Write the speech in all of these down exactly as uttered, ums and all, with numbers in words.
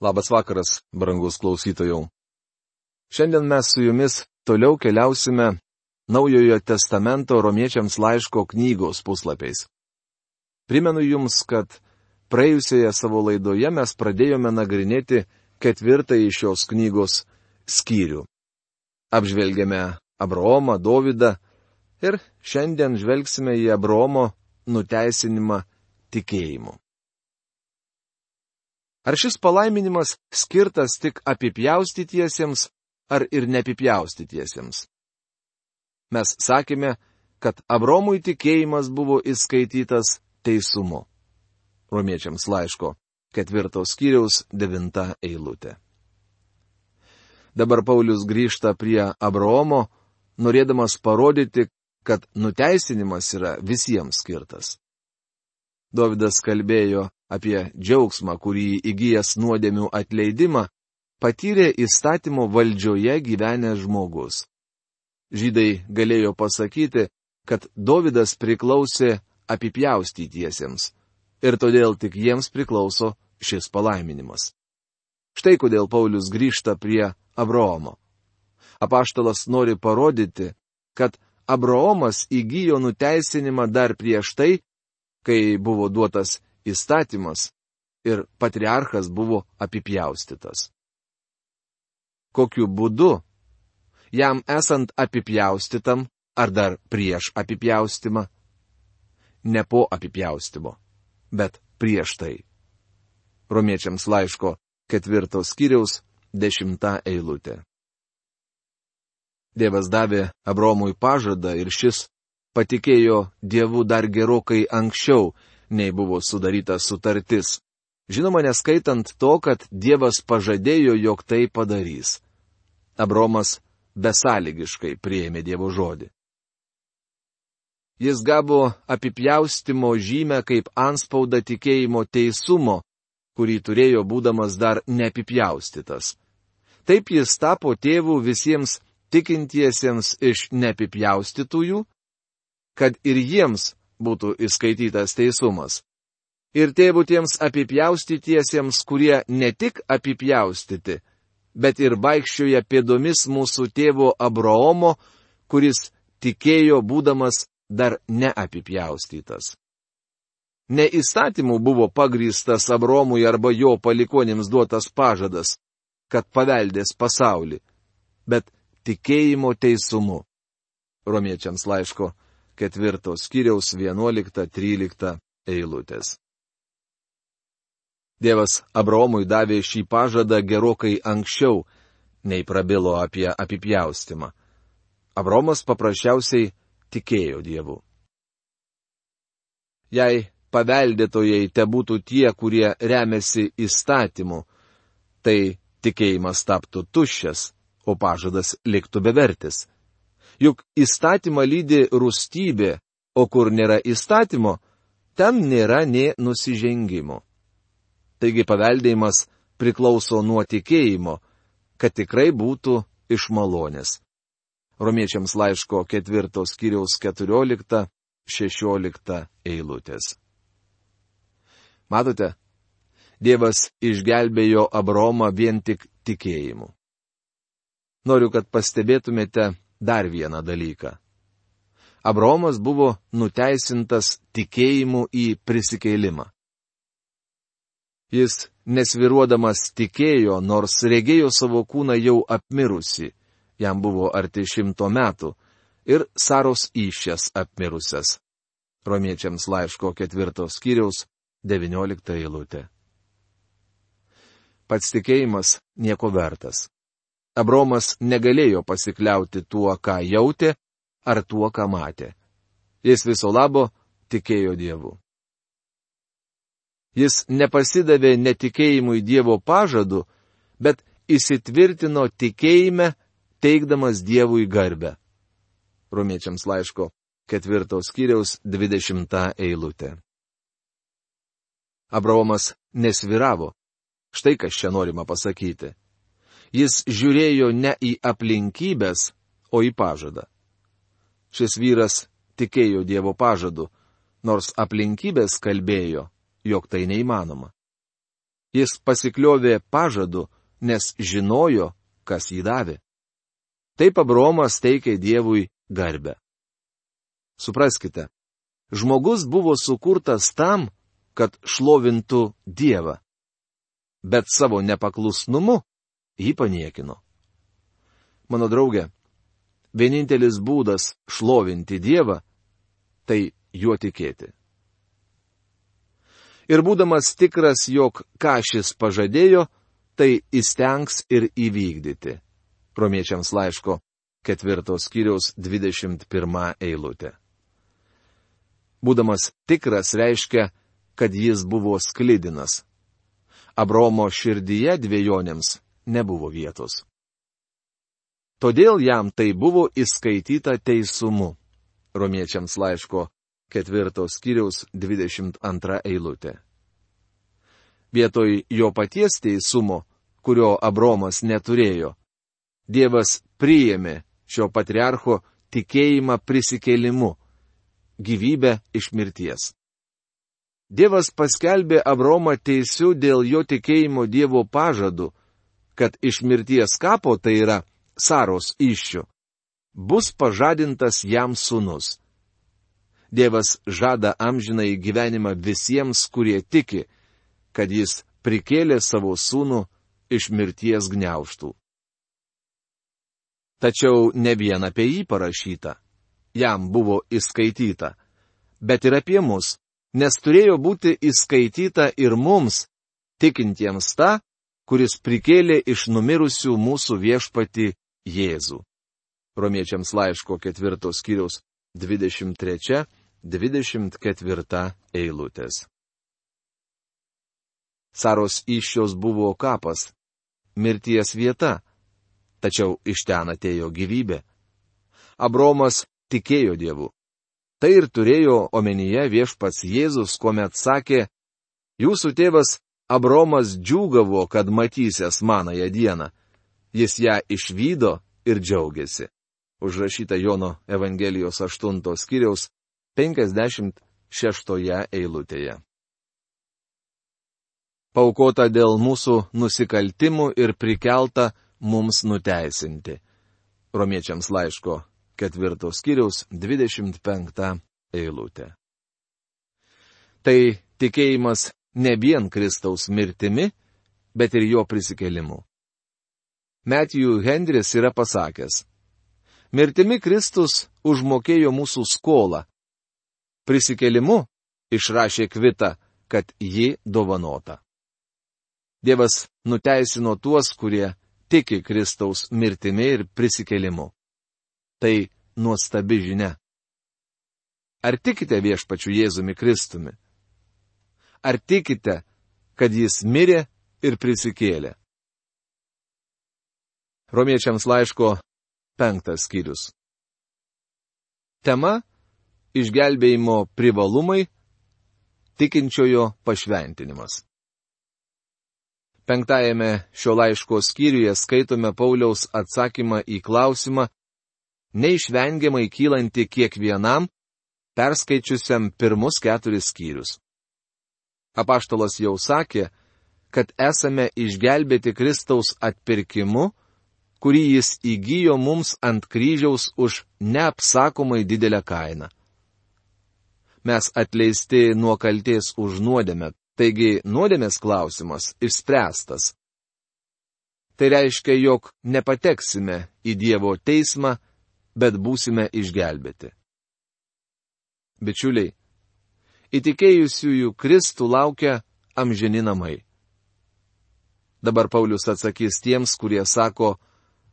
Labas vakaras, brangus klausytojau. Šiandien mes su jumis toliau keliausime Naujojo testamento romiečiams laiško knygos puslapiais. Primenu jums, kad praėjusioje savo laidoje mes pradėjome nagrinėti ketvirtąjį šios knygos skyrių. Apžvelgėme Abraomą, Dovydą ir šiandien žvelgsime į Abraomo nuteisinimą tikėjimu. Ar šis palaiminimas skirtas tik apipjaustytiesiems, ar ir neapipjaustytiesiems? Mes sakėme, kad Abraomui tikėjimas buvo įskaitytas teisumu. Romiečiams laiško ketvirtos skyriaus devinta eilutė. Dabar Paulius grįžta prie Abraomo, norėdamas parodyti, kad nuteisinimas yra visiems skirtas. Dovydas kalbėjo apie džiaugsmą, kurį įgijęs nuodėmių atleidimą, patyrė įstatymo valdžioje gyvenęs žmogus. Žydai galėjo pasakyti, kad Dovydas priklausė apipjaustytiesiems, ir todėl tik jiems priklauso šis palaiminimas. Štai kodėl Paulius grįžta prie Abraomo. Apaštalas nori parodyti, kad Abraomas įgijo nuteisinimą dar prieš tai, kai buvo duotas įstatymas ir patriarchas buvo apipjaustytas. Kokiu būdu? Jam esant apipjaustytam ar dar prieš apipjaustymą? Ne po apipjaustymo, bet prieš tai. Romiečiams laiško ketvirtos skyriaus dešimta eilutė. Dievas davė Abraomui pažadą ir šis patikėjo Dievu dar gerokai anksčiau, nei buvo sudaryta sutartis. Žinoma, neskaitant to, kad Dievas pažadėjo, jog tai padarys. Abraomas besąlygiškai priėmė Dievo žodį. Jis gavo apipjaustimo žymę kaip antspaudą tikėjimo teisumo, kurį turėjo būdamas dar neapipjaustytas. Taip jis tapo tėvu visiems tikintiesiems iš neapipjaustytųjų, kad ir jiems būtų įskaitytas teisumas. Ir tėvų tiems apipjaustytiesiems, kurie ne tik apipjaustyti, bet ir vaikščioja pėdomis mūsų tėvo Abraomo, kuris tikėjo būdamas dar neapipjaustytas. Ne įstatymų buvo pagrįstas Abraomui arba jo palikuonims duotas pažadas, kad paveldės pasaulį, bet tikėjimo teisumu. Romiečiams laiško ketvirtos skyriaus vienuolikta trylikta eilutės. Dievas Abraomui davė šį pažadą gerokai anksčiau, nei prabilo apie apipjaustymą. Abraomas paprasčiausiai tikėjo Dievu. Jei paveldėtojai tebūtų tie, kurie remiasi įstatymu, tai tikėjimas taptų tuščias, o pažadas liktų bevertis. Juk įstatymą lydi rūstybė, o kur nėra įstatymo, ten nėra nė nusižengimo. Taigi paveldėjimas priklauso nuo tikėjimo, kad tikrai būtų iš malonės. Romiečiams laiško ketvirtos skyriaus keturiolikta šešiolikta eilutės. Matote, Dievas išgelbėjo Abraomą vien tik tikėjimu. Noriu, kad pastebėtumėte dar vieną dalyką. Abraomas buvo nuteisintas tikėjimu į prisikėlimą. Jis nesviruodamas tikėjo, nors regėjo savo kūną jau apmirusi, jam buvo arti šimto metų, ir Saros įsčias apmirusias. Romiečiams laiško ketvirtos skyriaus devyniolikta eilutė. Pats tikėjimas nieko vertas. Abraomas negalėjo pasikliauti tuo, ką jautė, ar tuo, ką matė. Jis viso labo tikėjo Dievu. Jis nepasidavė netikėjimui Dievo pažadu, bet įsitvirtino tikėjime, teikdamas Dievui garbę. Romiečiams laiško ketvirtos skyriaus dvidešimta eilutė. Abraomas nesviravo. Štai kas čia norima pasakyti. Jis žiūrėjo ne į aplinkybės, o į pažadą. Šis vyras tikėjo Dievo pažadu, nors aplinkybės kalbėjo, jog tai neįmanoma. Jis pasikliovė pažadu, nes žinojo, kas jį davė. Taip Abraomas teikė Dievui garbę. Supraskite, žmogus buvo sukurtas tam, kad šlovintų Dievą, bet savo nepaklusnumu jį paniekino. Mano draugė, vienintelis būdas šlovinti Dievą – tai juo tikėti. Ir būdamas tikras, jog ką šis pažadėjo, tai įstengs ir įvykdyti. Romiečiams laiško ketvirtos skyriaus dvidešimt pirma eilutė. Būdamas tikras reiškia, kad jis buvo sklidinas. Abraomo širdyje dvejonėms nebuvo vietos. Todėl jam tai buvo įskaityta teisumu. Romiečiams laiško ketvirtos skyriaus dvidešimt antra eilutė. Vietoj jo paties teisumo, kurio Abraomas neturėjo, Dievas priėmė šio patriarcho tikėjimą prisikėlimu, gyvybę iš mirties. Dievas paskelbė Abraomą teisiu dėl jo tikėjimo Dievo pažadu, kad iš mirties kapo, tai yra Saros įsčių, bus pažadintas jam sūnus. Dievas žada amžinai gyvenimą visiems, kurie tiki, kad jis prikėlė savo sūnų iš mirties gniaužtų. Tačiau ne vien apie jį parašyta, jam buvo įskaityta, bet ir apie mus, nes turėjo būti įskaityta ir mums, tikintiems tą, kuris prikėlė iš numirusių mūsų viešpatį Jėzų. Romiečiams laiško ketvirtos skyriaus dvidešimt trečia dvidešimt ketvirta eilutės. Saros įsčios buvo kapas, mirties vieta, tačiau iš ten atėjo gyvybė. Abraomas tikėjo Dievu. Tai ir turėjo omenyje viešpats Jėzus, kuomet sakė, jūsų tėvas Abraomas džiūgavo, kad matysės manąją dieną. Jis ją išvydo ir džiaugiasi. Užrašyta Jono Evangelijos aštuntos skyriaus penkiasdešimt šeštoje eilutėje. Paukota dėl mūsų nusikaltimų ir prikelta mums nuteisinti. Romiečiams laiško ketvirtos skyriaus dvidešimt penkta eilutė. Tai tikėjimas ne vien Kristaus mirtimi, bet ir jo prisikėlimu. Matthew Henris yra pasakęs, mirtimi Kristus užmokėjo mūsų skolą. Prisikėlimu išrašė kvitą, kad ji dovanota. Dievas nuteisino tuos, kurie tiki Kristaus mirtimi ir prisikėlimu. Tai nuostabi žinia. Ar tikite viešpačiu Jėzumi Kristumi? Ar tikite, kad jis mirė ir prisikėlė? Romiečiams laiško penktas skyrius. Tema – išgelbėjimo privalumai, tikinčiojo pašventinimas. Penktajame šio laiško skyriuje skaitome Pauliaus atsakymą į klausimą, neišvengiamai kylanti kiekvienam, perskaičiusiam pirmus keturis skyrius. Apaštalas jau sakė, kad esame išgelbėti Kristaus atpirkimu, kurį jis įgijo mums ant kryžiaus už neapsakomai didelę kainą. Mes atleisti nuo kaltės už nuodėmę, taigi nuodėmės klausimas išspręstas. Tai reiškia, jog nepateksime į Dievo teismą, bet būsime išgelbėti. Bičiuliai, įtikėjusiųjų Kristų laukia amžini namai. Dabar Paulius atsakys tiems, kurie sako,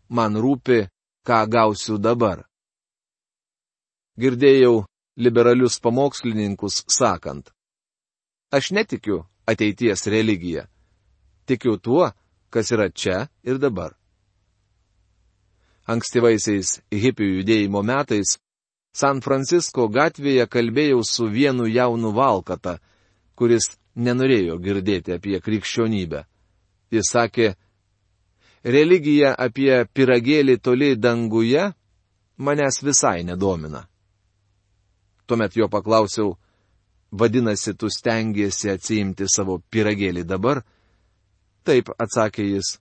man rūpi, ką gausiu dabar. Girdėjau liberalius pamokslininkus sakant, aš netikiu ateities religiją, tikiu tuo, kas yra čia ir dabar. Ankstyvaisiais hipių judėjimo metais San Francisko gatvėje kalbėjau su vienu jaunu valkata, kuris nenorėjo girdėti apie krikščionybę. Jis sakė, religija apie pyragėlį toli danguje manęs visai nedomina. Tuomet jo paklausiau, vadinasi, tu stengiesi atsiimti savo pyragėlį dabar, Taip, atsakė jis.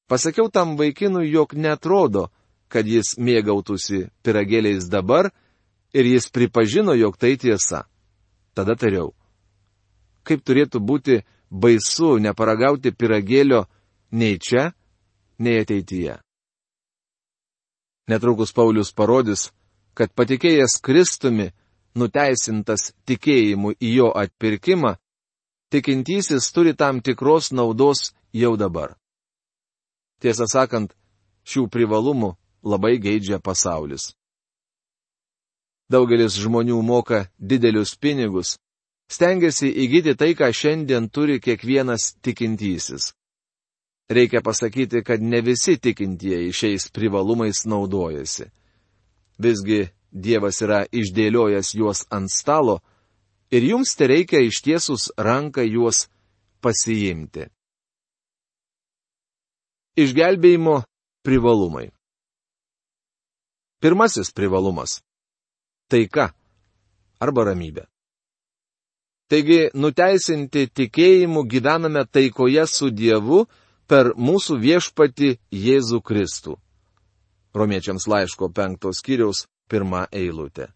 Pasakiau tam vaikinui, jog netrodo, kad jis mėgautųsi pyragėliais dabar, ir jis pripažino, jog tai tiesa. Tada tariau. Kaip turėtų būti baisu neparagauti pyragėlio nei čia, nei ateityje. Netrukus Paulius parodys, kad patikėjęs Kristumi, nuteisintas tikėjimu į jo atpirkimą, tikintysis turi tam tikros naudos jau dabar. Tiesą sakant, šių privalumų labai geidžia pasaulis. Daugelis žmonių moka didelius pinigus, stengiasi įgyti tai, ką šiandien turi kiekvienas tikintysis. Reikia pasakyti, kad ne visi tikintieji šiais privalumais naudojasi. Visgi Dievas yra išdėliojęs juos ant stalo ir jums tereikia ištiesus ranką juos pasiimti. Išgelbėjimo privalumai. Pirmasis privalumas. Taika arba ramybė. Taigi, nuteisinti tikėjimu gyvename taikoje su Dievu per mūsų viešpatį Jėzų Kristų. Romiečiams laiško penktos skyriaus pirmą eilutę.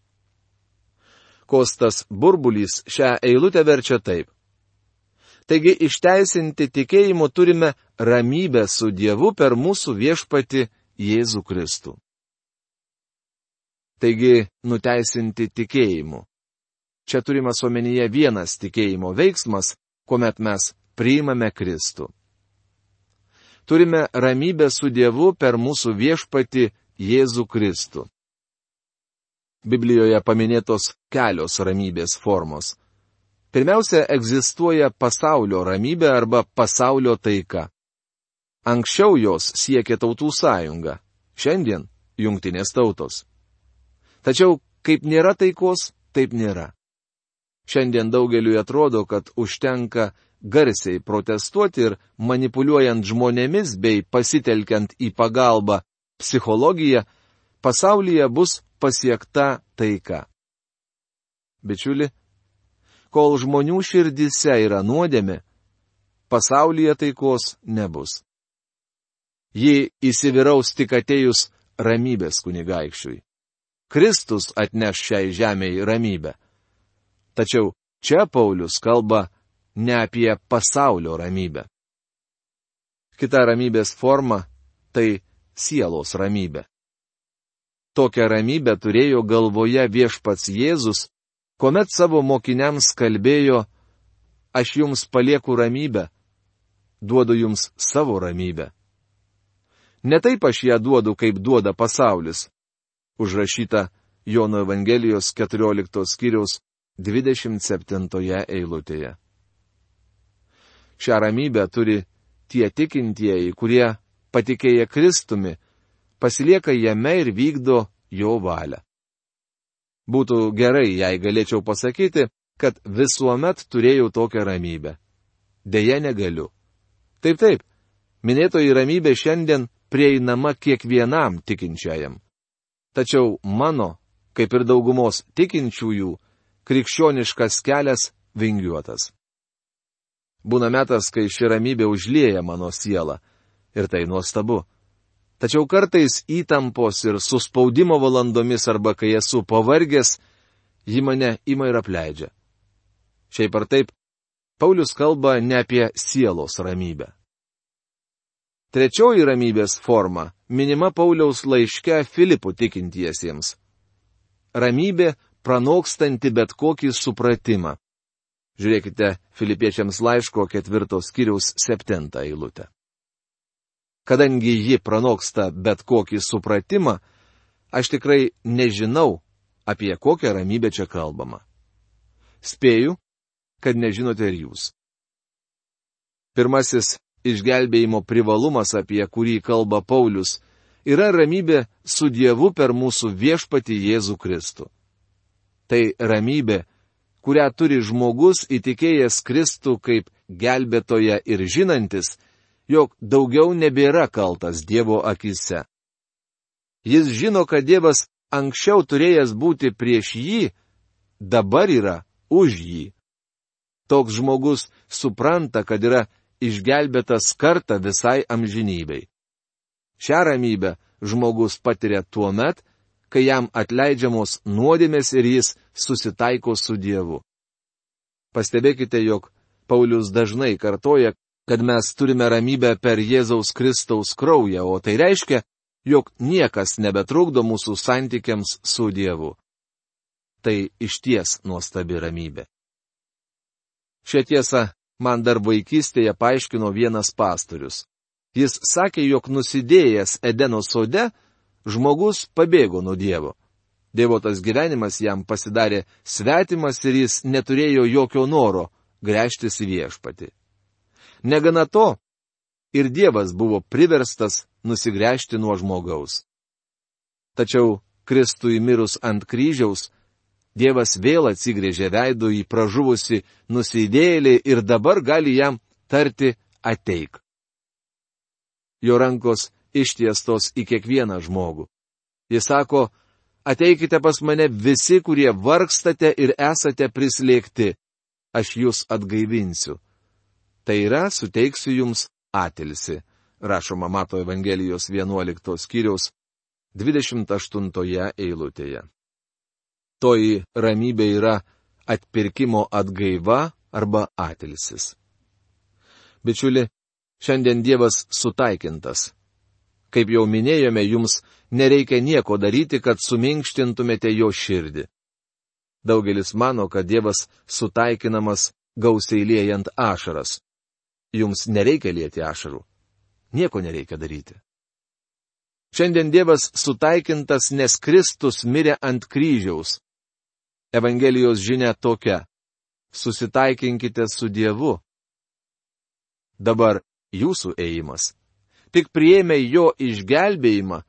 Kostas Burbulys šią eilutę verčia taip. Taigi, išteisinti tikėjimu turime ramybę su Dievu per mūsų viešpatį Jėzų Kristų. Taigi, nuteisinti tikėjimu. Čia turimas omenyje vienas tikėjimo veiksmas, kuomet mes priimame Kristų. Turime ramybę su Dievu per mūsų viešpatį Jėzų Kristų. Biblijoje paminėtos kelios ramybės formos. Pirmiausia, egzistuoja pasaulio ramybė arba pasaulio taika. Anksčiau jos siekė tautų sąjunga, šiandien jungtinės tautos. Tačiau, kaip nėra taikos, taip nėra. Šiandien daugeliui atrodo, kad užtenka garsiai protestuoti ir manipuliuojant žmonėmis bei pasitelkiant į pagalbą psichologiją, pasaulyje bus pasiekta taika. Bičiuli, kol žmonių širdise yra nuodėmė, pasaulyje taikos nebus. Ji įsivyraus tik atėjus ramybės kunigaikščiui. Kristus atneš šiai žemei ramybę. Tačiau čia Paulius kalba ne apie pasaulio ramybę. Kita ramybės forma – tai sielos ramybė. Tokią ramybę turėjo galvoje viešpats Jėzus, kuomet savo mokiniams kalbėjo, aš jums palieku ramybę, duodu jums savo ramybę. Ne taip aš ją duodu, kaip duoda pasaulis. Užrašyta Jono Evangelijos keturioliktos skyriaus dvidešimt septintoje eilutėje. Šią ramybę turi tie tikintieji, kurie, patikėję Kristumi, pasilieka jame ir vykdo jo valią. Būtų gerai, jei galėčiau pasakyti, kad visuomet turėjau tokią ramybę. Deja, negaliu. Taip, taip, minėtoji ramybė šiandien prieinama kiekvienam tikinčiajam. Tačiau mano, kaip ir daugumos tikinčiųjų, krikščioniškas kelias vingiuotas. Būna metas, kai ši ramybė užlieja mano sielą, ir tai nuostabu. Tačiau kartais įtampos ir suspaudimo valandomis arba kai esu pavargęs, ji mane ima ir apleidžia. Šiaip ar taip, Paulius kalba ne apie sielos ramybę. Trečioji ramybės forma minima Pauliaus laiške Filipų tikintiesiems. Ramybė pranokstanti bet kokį supratimą. Žiūrėkite Filipiečiams laiško ketvirtos skyriaus septintą eilutę. Kadangi ji pranoksta bet kokį supratimą, aš tikrai nežinau, apie kokią ramybę čia kalbama. Spėju, kad nežinote ir jūs. Pirmasis išgelbėjimo privalumas, apie kurį kalba Paulius, yra ramybė su Dievu per mūsų viešpatį Jėzų Kristų. Tai ramybė, kurią turi žmogus įtikėjęs Kristų kaip gelbėtoją ir žinantis, jog daugiau nebėra kaltas Dievo akise. Jis žino, kad Dievas anksčiau turėjęs būti prieš jį, dabar yra už jį. Toks žmogus supranta, kad yra išgelbėtas kartą visai amžinybei. Šią ramybę žmogus patiria tuo met, kai jam atleidžiamos nuodėmės ir jis susitaiko su Dievu. Pastebėkite, jog Paulius dažnai kartoja, kad mes turime ramybę per Jėzaus Kristaus kraują, o tai reiškia, jog niekas nebetrukdo mūsų santykiams su Dievu. Tai išties nuostabi ramybė. Šią tiesą man dar vaikystėje paaiškino vienas pastorius. Jis sakė, jog nusidėjęs Edeno sode, žmogus pabėgo nuo Dievo. Dievotas gyvenimas jam pasidarė svetimas ir jis neturėjo jokio noro gręžtis į viešpatį. Negana to, ir Dievas buvo priverstas nusigręžti nuo žmogaus. Tačiau Kristui mirus ant kryžiaus, Dievas vėl atsigrėžė veidu į pražuvusi nusidėjėlį ir dabar gali jam tarti ateik. Jo rankos ištiestos į kiekvieną žmogų. Jis sako, ateikite pas mane visi, kurie vargstate ir esate prislėgti, aš jūs atgaivinsiu. Tai yra, suteiksiu jums atilsį, rašoma Mato Evangelijos vienuoliktos skyriaus dvidešimt aštuntoje eilutėje. Toji ramybė yra atpirkimo atgaiva arba atilsis. Bičiuli, šiandien Dievas sutaikintas. Kaip jau minėjome, jums nereikia nieko daryti, kad suminkštintumėte jo širdį. Daugelis mano, kad Dievas sutaikinamas gausiai liejant ašaras. Jums nereikia lieti ašarų. Nieko nereikia daryti. Šiandien Dievas sutaikintas, nes Kristus mirė ant kryžiaus. Evangelijos žinia tokia. Susitaikinkite su Dievu. Dabar jūsų ėjimas. Tik priėmę jo išgelbėjimą,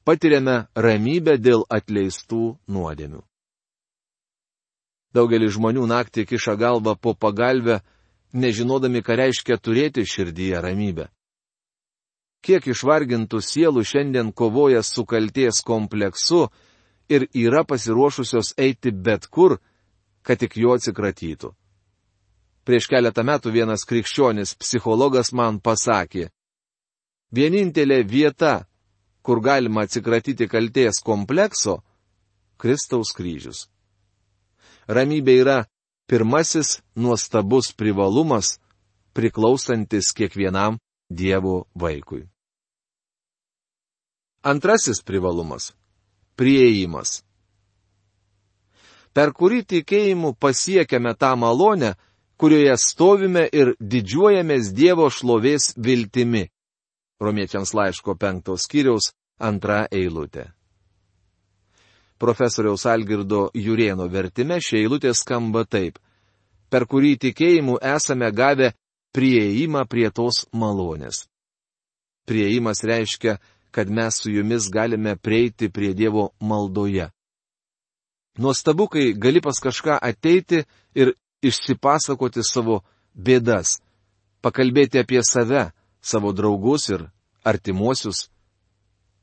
patiriame ramybę dėl atleistų nuodėmių. Daugelis žmonių naktį kiša galvą po pagalvę, nežinodami, ką reiškia turėti širdyje ramybę. Kiek išvargintų sielų šiandien kovoja su kaltės kompleksu ir yra pasiruošusios eiti bet kur, kad tik jo atsikratytų. Prieš keletą metų vienas krikščionis psichologas man pasakė, vienintelė vieta, kur galima atsikratyti kaltės komplekso, Kristaus kryžius. Ramybė yra pirmasis nuostabus privalumas, priklausantis kiekvienam Dievo vaikui. Antrasis privalumas – priėjimas. Per kurį tikėjimu pasiekiame tą malonę, kurioje stovime ir didžiuojamės Dievo šlovės viltimi. Romiečiams laiško penktos skyriaus antra eilutė. Profesoriaus Algirdo Jurėno vertime šia eilutė skamba taip. Per kurį tikėjimu esame gavę priėjimą prie tos malonės. Priėjimas reiškia, kad mes su jumis galime prieiti prie Dievo maldoje. Nuostabu, kai gali pas kažką ateiti ir išsipasakoti savo bėdas, pakalbėti apie save, savo draugus ir artimuosius.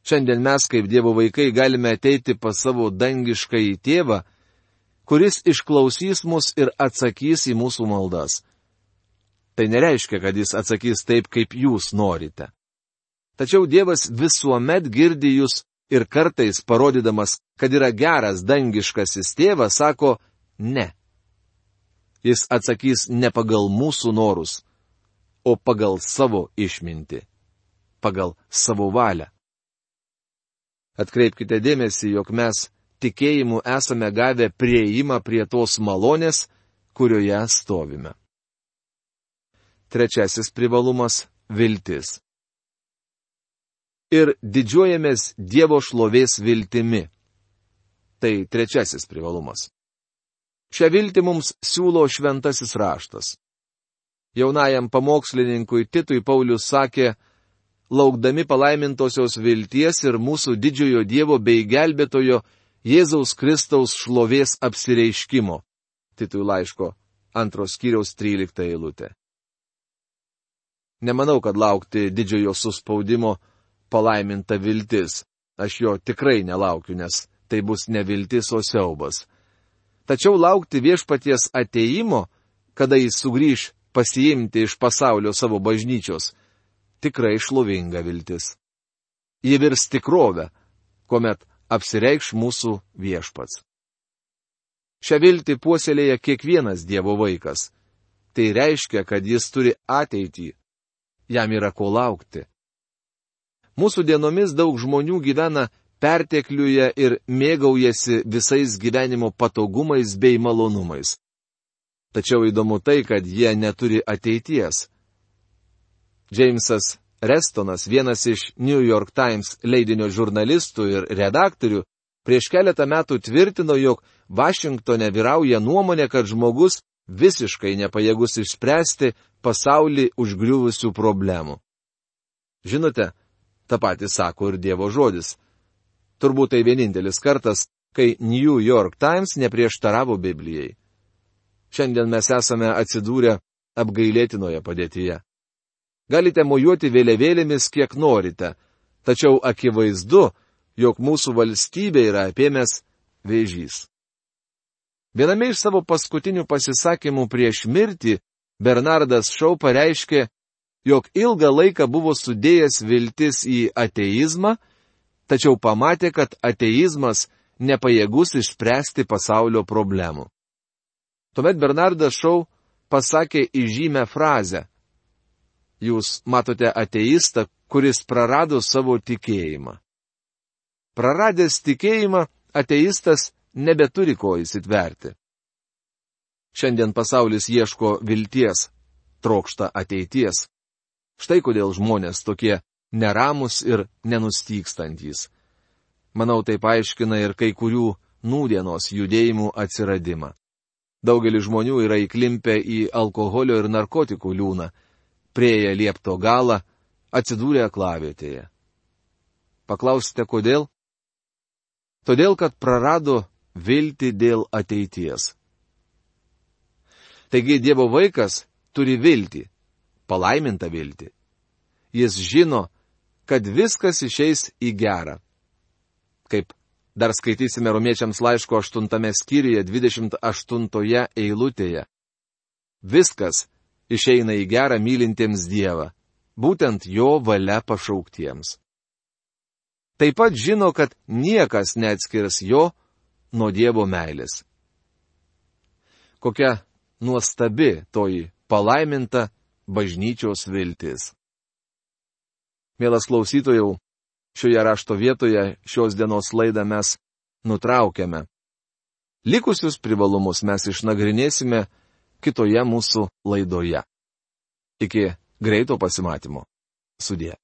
Šiandien mes, kaip Dievo vaikai, galime ateiti pas savo dangiškąjį tėvą, kuris išklausys mus ir atsakys į mūsų maldas. Tai nereiškia, kad jis atsakys taip, kaip jūs norite. Tačiau Dievas visuomet girdi jūs ir kartais, parodydamas, kad yra geras dangiškasis tėvas, sako ne. Jis atsakys ne pagal mūsų norus, o pagal savo išmintį, pagal savo valią. Atkreipkite dėmesį, jog mes tikėjimu esame gavę priėjimą prie tos malonės, kurioje stovime. Trečiasis privalumas – viltis. Ir didžiuojamės Dievo šlovės viltimi. Tai trečiasis privalumas. Šią viltį mums siūlo šventasis raštas. Jaunajam pamokslininkui Titui Paulius sakė, laukdami palaimintosios vilties ir mūsų didžiojo Dievo bei gelbėtojo Jėzaus Kristaus šlovės apsireiškimo. Titui laiško antros skyriaus trylikta eilutė. Nemanau, kad laukti didžiojo suspaudimo palaiminta viltis. Aš jo tikrai nelaukiu, nes tai bus ne viltis, o siaubas. Tačiau laukti viešpaties ateimo, kada jis sugrįš pasiimti iš pasaulio savo bažnyčios, tikrai šlovinga viltis. Ji virs tikrovę, kuomet apsireikš mūsų viešpats. Šią viltį puoselėja kiekvienas Dievo vaikas. Tai reiškia, kad jis turi ateitį. Jam yra ko laukti. Mūsų dienomis daug žmonių gyvena pertekliuje ir mėgaujasi visais gyvenimo patogumais bei malonumais. Tačiau įdomu tai, kad jie neturi ateities. Džeimsas Restonas, vienas iš New York Times leidinio žurnalistų ir redaktorių, prieš keletą metų tvirtino, jog Vašingtone vyrauja nuomonė, kad žmogus visiškai nepajėgus išspręsti pasaulį užgriuvusių problemų. Žinote, tą patį sako ir Dievo žodis. Turbūt tai vienintelis kartas, kai New York Times neprieštaravo Biblijai. Šiandien mes esame atsidūrę apgailėtinoje padėtyje. Galite mojuoti vėliavėlėmis kiek norite, tačiau akivaizdu, jog mūsų valstybė yra apėmęs vėžys. Viename iš savo paskutinių pasisakymų prieš mirtį Bernardas Shaw pareiškė, jog ilgą laiką buvo sudėjęs viltis į ateizmą, tačiau pamatė, kad ateizmas nepajėgus išspręsti pasaulio problemų. Tuomet Bernardas Shaw pasakė įžymę frazę: jūs matote ateistą, kuris prarado savo tikėjimą. Praradęs tikėjimą, ateistas nebeturi ko įsitverti. Šiandien pasaulis ieško vilties, trokšta ateities. Štai kodėl žmonės tokie neramus ir nenustykstantys. Manau, tai paaiškina ir kai kurių nūdienos judėjimų atsiradimą. Daugelis žmonių yra įklimpę į alkoholio ir narkotikų liūną, prieėję liepto galą, atsidūrė aklavietėje. Paklausite, kodėl? Todėl, kad prarado viltį dėl ateities. Taigi Dievo vaikas turi viltį, palaimintą viltį. Jis žino, kad viskas išeis į gerą. Kaip dar skaitysime Romiečiams laiško aštuntame skyriuje dvidešimt aštuntoje eilutėje. Viskas išeina į gerą mylintiems Dievą, būtent jo valia pašauktiems. Taip pat žino, kad niekas neatskirs jo nuo Dievo meilės. Kokia nuostabi toji palaiminta bažnyčios viltis. Mielas klausytojau, šioje rašto vietoje šios dienos laidą mes nutraukiame. Likusius privalumus mes išnagrinėsime kitoje mūsų laidoje. Iki greito pasimatymo. Sudie.